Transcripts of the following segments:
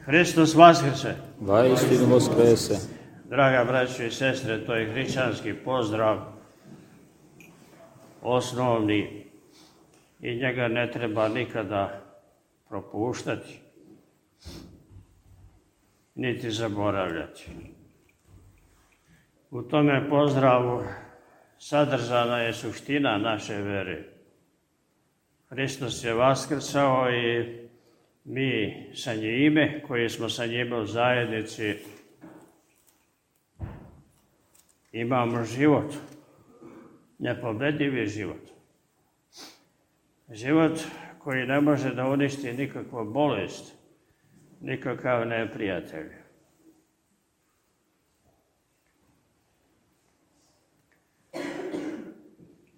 Hristos vaskrse. Vaistinu vaskrese. Draga braćo i sestre, to je hrišćanski pozdrav, osnovni, i njega ne treba nikada propuštati, niti zaboravljati. U tome pozdravu sadržana je suština naše vere. Hristos je vaskrsao i mi sa njime, koji smo sa njime u zajednici, imamo život, nepobedivi život. Život koji ne može da uništi nikakva bolest, nikakav neprijatelj.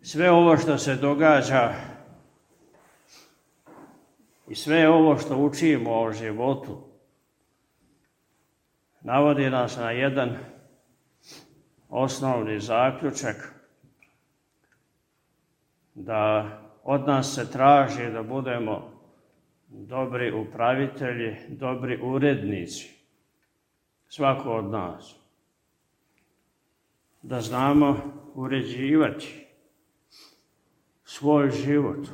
Sve ovo što se događa i sve ovo što učimo o životu navodi nas na jedan osnovni zaključak, da od nas se traži da budemo dobri upravitelji, dobri urednici, svako od nas. Da znamo uređivati svoj život.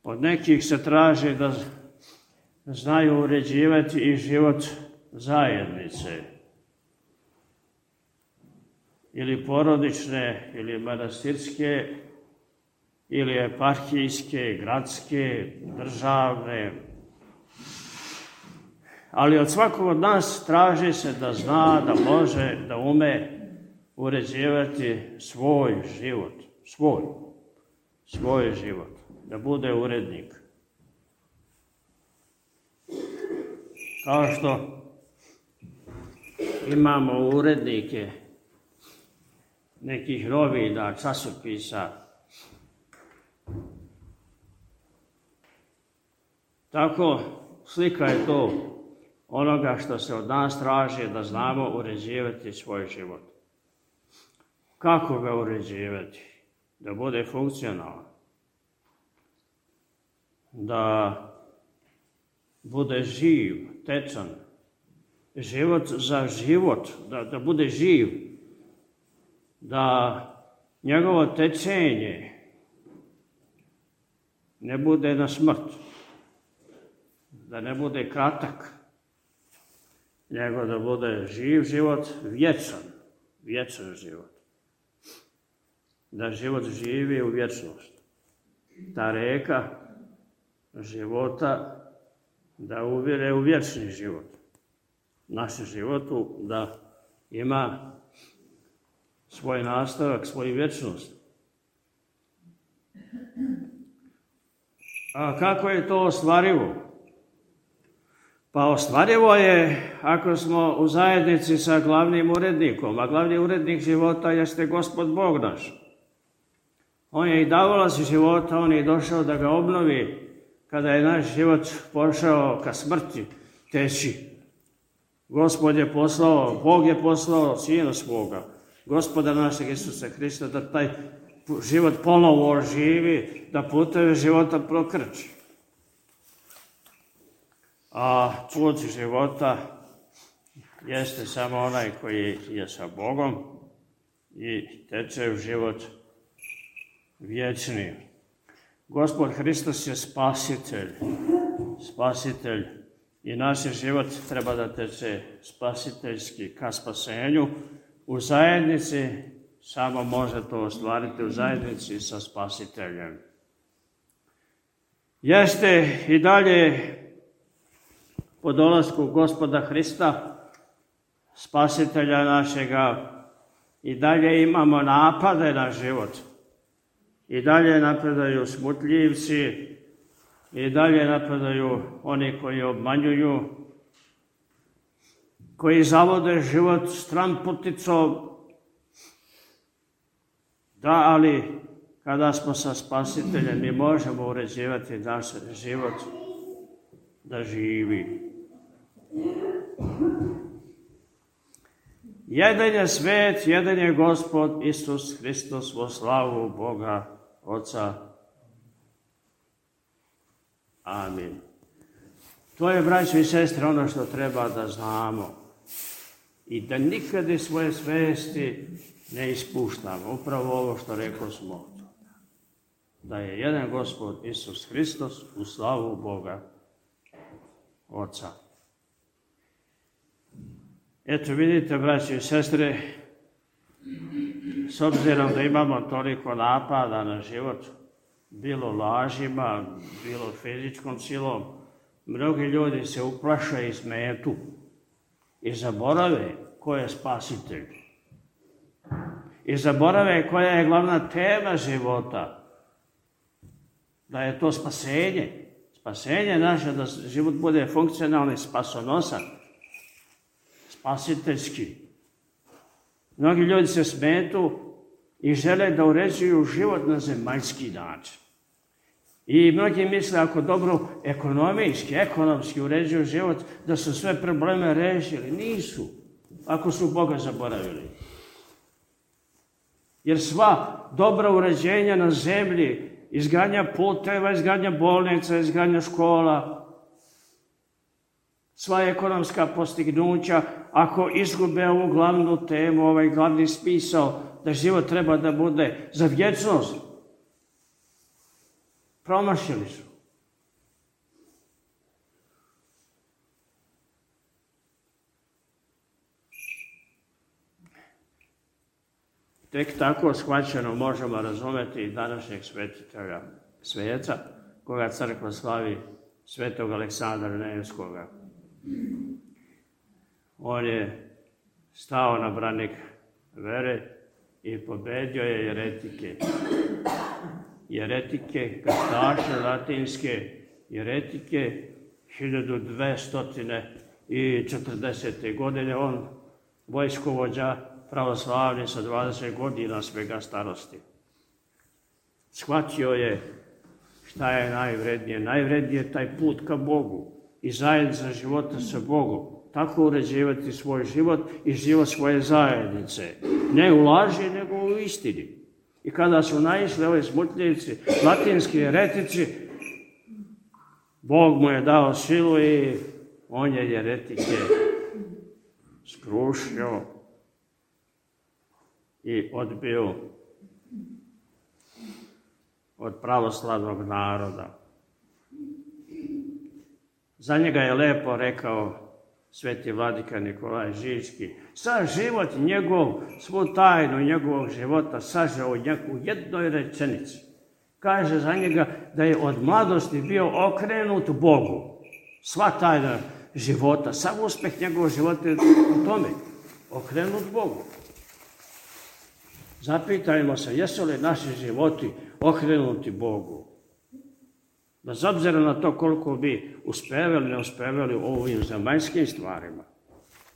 Od nekih se traži da znaju uređivati i život zajednice, ili porodične, ili manastirske, ili eparhijske, gradske, državne. Ali od svakog od nas traži se da zna, da može, da ume uređivati svoj život, svoj život, da bude urednik. Kao što imamo urednike nekih novina, časopisa, tako slika je to onoga što se od nas traži, da znamo uređivati svoj život. Kako ga uređivati? Da bude funkcionalan, da bude živ, tečan, život za život, da bude živ, da njegovo tečenje ne bude na smrt, da ne bude kratak, nego da bude živ život, vječan život. Da život živi u vječnost. Ta reka života da uvire u vječni život. Našem životu da ima svoj nastavak, svoju vječnost. A kako je to ostvarivo? Pa ostvarivo je ako smo u zajednici sa glavnim urednikom, a glavni urednik života jeste Gospod Bog naš. On je i davalac života, on je došao da ga obnovi kada je naš život pošao ka smrti teći. Gospod je poslao, Bog je poslao Sina svoga, Gospoda našeg Isusa Hrista, da taj život ponovo oživi, da puteve života prokrči. A put života jeste samo onaj koji je sa Bogom i teče u život vječni. Gospod Hristos je spasitelj i naš život treba da teče spasiteljski ka spasenju. U zajednici samo može to ostvariti, u zajednici sa spasiteljem. Jeste i dalje po dolasku Gospoda Hrista, spasitelja našega, i dalje imamo napade na život. I dalje napadaju smutljivci, i dalje napadaju oni koji obmanjuju, koji zavode život stranputicom. Da, ali kada smo sa spasiteljem, mi možemo uređivati naš život da živi. Jedan je svet, jedan je Gospod Isus Hristos, vo slavu Boga Oca. Amin. To je, braćo i sestre, ono što treba da znamo. I da nikad iz svoje svesti ne ispuštamo. Upravo ovo što rekli smo. Da je jedan Gospod Isus Hristos u slavu Boga Oca. Eto vidite, braći i sestre, s obzirom da imamo toliko napada na život, bilo lažima, bilo fizičkom silom, mnogi ljudi se uplaše i smetu i zaborave ko je spasitelj. I zaborave koja je glavna tema života. Da je to spasenje. Spasenje naše, da život bude funkcionalni, spasonosan, spasiteljski. Mnogi ljudi se smetu i žele da uređuju život na zemaljski način. I mnogi misle ako dobro ekonomski uređuju život, da su sve probleme rešili. Nisu, ako su Boga zaboravili. Jer sva dobra uređenja na zemlji, izgradnja puteva, izgradnja bolnica, izgradnja škola, sva ekonomska postignuća, ako izgube ovu glavnu temu, ovaj glavni smisao, da život treba da bude za vječnost, promašili su. Tek tako shvaćeno možemo razumjeti i današnjeg svetitelja sveca, koga crkva slavi, svetog Aleksandra Nevskoga. On je stao na branik vere i pobedio je jeretike. Jeretike, krstaše latinske, jeretike 1240. godine. On, vojskovođa pravoslavni sa 20 godina svega starosti. Shvatio je šta je najvrednije. Najvrednije je taj put ka Bogu i zajednica života sa Bogom. Tako uređivati svoj život i život svoje zajednice. Ne u laži, nego u istini. I kada su naišli ovi smutljivci, latinski jeretici, Bog mu je dao silu i on je jeretike skrušio i odbio od pravoslavnog naroda. Za njega je lepo rekao sveti vladika Nikolaj Žički, sav život njegov, svu tajnu njegovog života sažao u jednoj rečenici. Kaže za njega da je od mladosti bio okrenut Bogu. Sva tajna života, sav uspeh njegovog života je u tome, okrenut Bogu. Zapitajmo se, jesu li naši životi okrenuti Bogu? Bez obzira na to koliko bi uspevali, ne uspevali u ovim zemaljskim stvarima.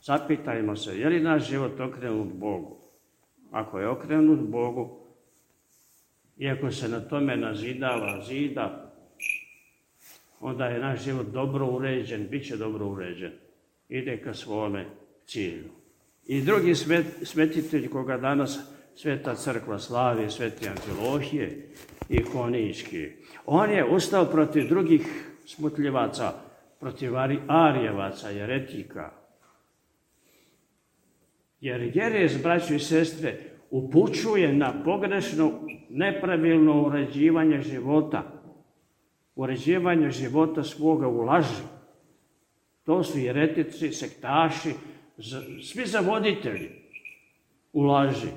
Zapitajmo se, je li naš život okrenut Bogu? Ako je okrenut Bogu, iako se na tome nazidava zida, onda je naš život dobro uređen, bit će dobro uređen. Ide ka svome cilju. I drugi svetitelj koga danas Sveta crkva slavi, sveti Amfilohije i Honički. On je ustao protiv drugih smutljivaca, protiv Arijevaca, jeretika. Jer jerez, braćo i sestre, upućuje na pogrešno, nepravilno uređivanje života. Uređivanje života svoga u laži. To su jeretici, sektaši, svi zavoditelji u laži.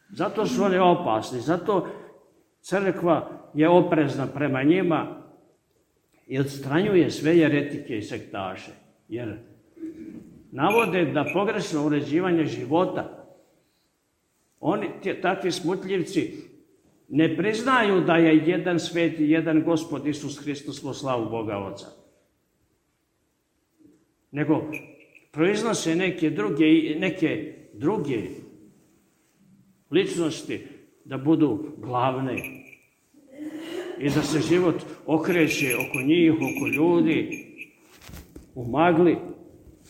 Zato su oni opasni, zato crkva je oprezna prema njima i odstranjuje sve jeretike i sektaše. Jer navode da pogrešno uređivanje života, oni, takvi smutljivci, ne priznaju da je jedan svet i jedan Gospod Isus Hristos u slavu Boga Oca. Nego proiznose neke druge ličnosti da budu glavne i da se život okreće oko njih, oko ljudi, u magli,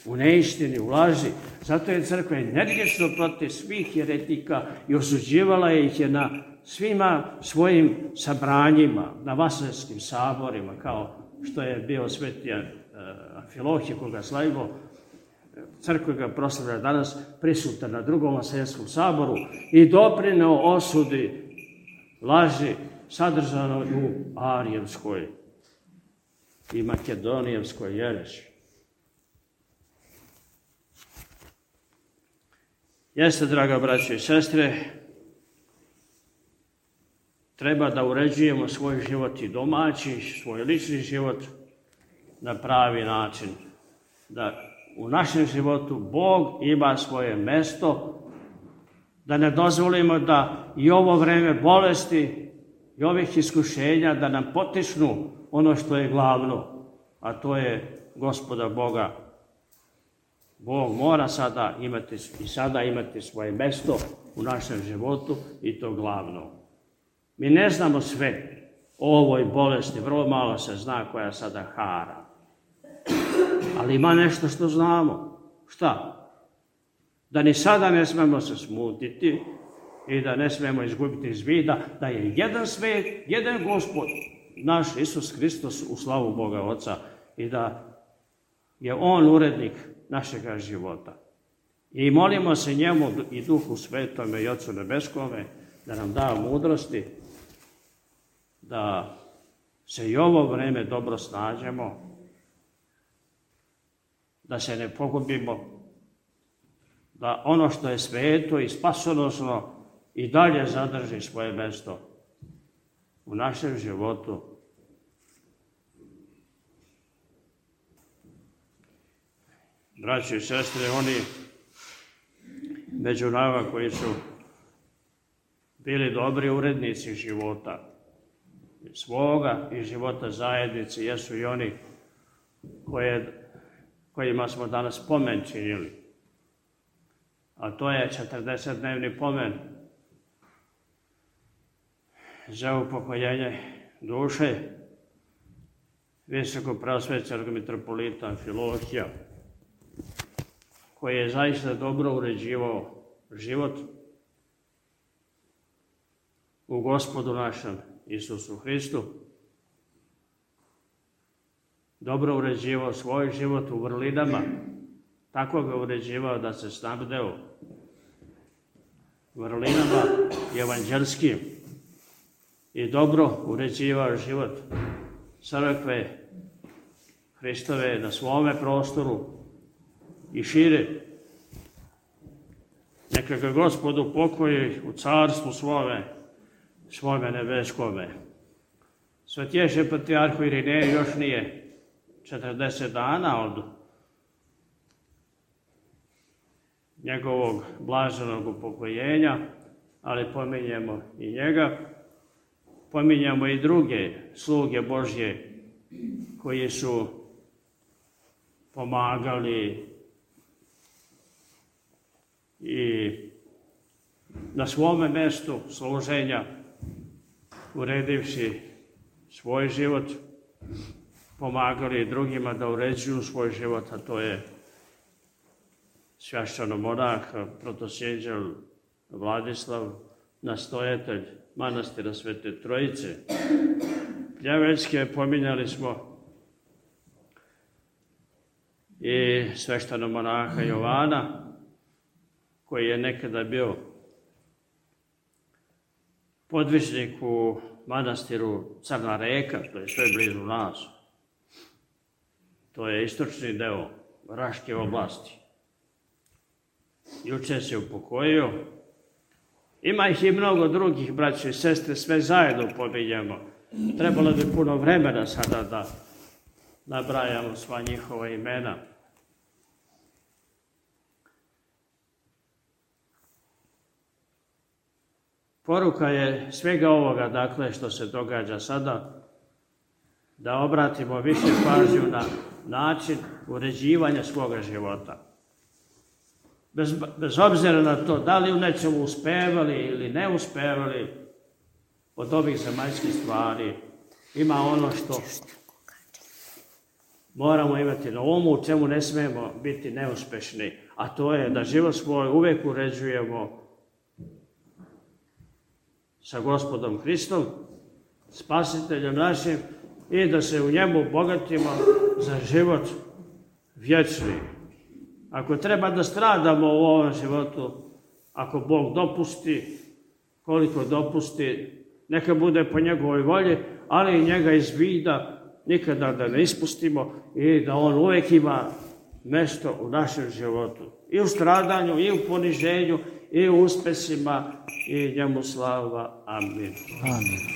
u neistini, u laži. Zato je crkva energično protiv svih jeretika i osuđivala ih je na svima svojim sabranjima, na vaselskim saborima, kao što je bio sveti Amfilohije, koga slavimo, crkva ga proslavlja danas, prisutan na drugom vaselskom saboru i doprineo osudi laži sadržano u arijevskoj i makedonijevskoj jereši. Jeste, draga braćo i sestre, treba da uređujemo svoj život i domaći, svoj lični život na pravi način. Da u našem životu Bog ima svoje mesto, da ne dozvolimo da i ovo vreme bolesti i ovih iskušenja da nam potisnu ono što je glavno, a to je Gospoda Boga. Bog mora sada imati svoje mesto u našem životu i to glavno. Mi ne znamo sve o ovoj bolesti, vrlo malo se zna koja sada hara. Ali ima nešto što znamo. Šta? Da ni sada ne smemo se smutiti i da ne smemo izgubiti iz vida da je jedan svet, jedan Gospod, naš Isus Hristos u slavu Boga Oca i da je On urednik našega života. I molimo se njemu i Duhu Svetome i Otcu Nebeskome da nam da mudrosti, da se i ovo vreme dobro snađemo, da se ne pogubimo, da ono što je sveto i spasonosno i dalje zadrži svoje mesto u našem životu. Braći i sestre, oni među nama koji su bili dobri urednici života, svoga i života zajednice, jesu i oni kojima smo danas pomen činili. A to je 40-dnevni pomen za upokojenje duše visokopreosvećenog mitropolita Amfilohija, koji je zaista dobro uređivao život u Gospodu našem Isusu Hristu, dobro uređivao svoj život u vrlinama, tako ga uređivao da se snabdeo vrlinama evanđelskim i dobro uređivao život crkve Hristove na svome prostoru i šire. Neka ga Gospod upokoji u carstvu svome nebeskome. Svetješe patrijarhu Irineju još nije 40 dana od njegovog blaženog upokojenja, ali pominjemo i njega, pominjemo i druge sluge Božje koji su pomagali i na svome mestu služenja, uredivši svoj život, pomagali drugima da uređuju svoj život, a to je svešćenomonah, protosjeđel Vladislav, nastojatelj manastira Svete Trojice. Pljeveljske pominjali smo i svešćenomonaha Jovana, koji je nekada bio podvižnik u manastiru Crna Reka, to je sve blizu nas. To je istočni deo Raške oblasti. Juče se upokojio. Ima ih i mnogo drugih, braće i sestre, sve zajedno pominjemo. Trebalo bi puno vremena sada da nabrajamo sva njihova imena. Poruka je svega ovoga, dakle, što se događa sada, da obratimo više pažnju na način uređivanja svoga života. Bez obzira na to da li u nečemu uspevali ili ne uspevali od ovih zemaljskih stvari, ima ono što moramo imati na umu, u čemu ne smijemo biti neuspešni, a to je da život svoj uvek uređujemo sa Gospodom Hristom, Spasiteljem našim, i da se u njemu bogatimo za život vječni. Ako treba da stradamo u ovom životu, ako Bog dopusti, koliko dopusti, neka bude po njegovoj volji, ali i njega iz vida nikada da ne ispustimo i da on uvijek ima mjesto u našem životu. I u stradanju, i u poniženju, i u uspesima, i njemu slava. Amin. Amin.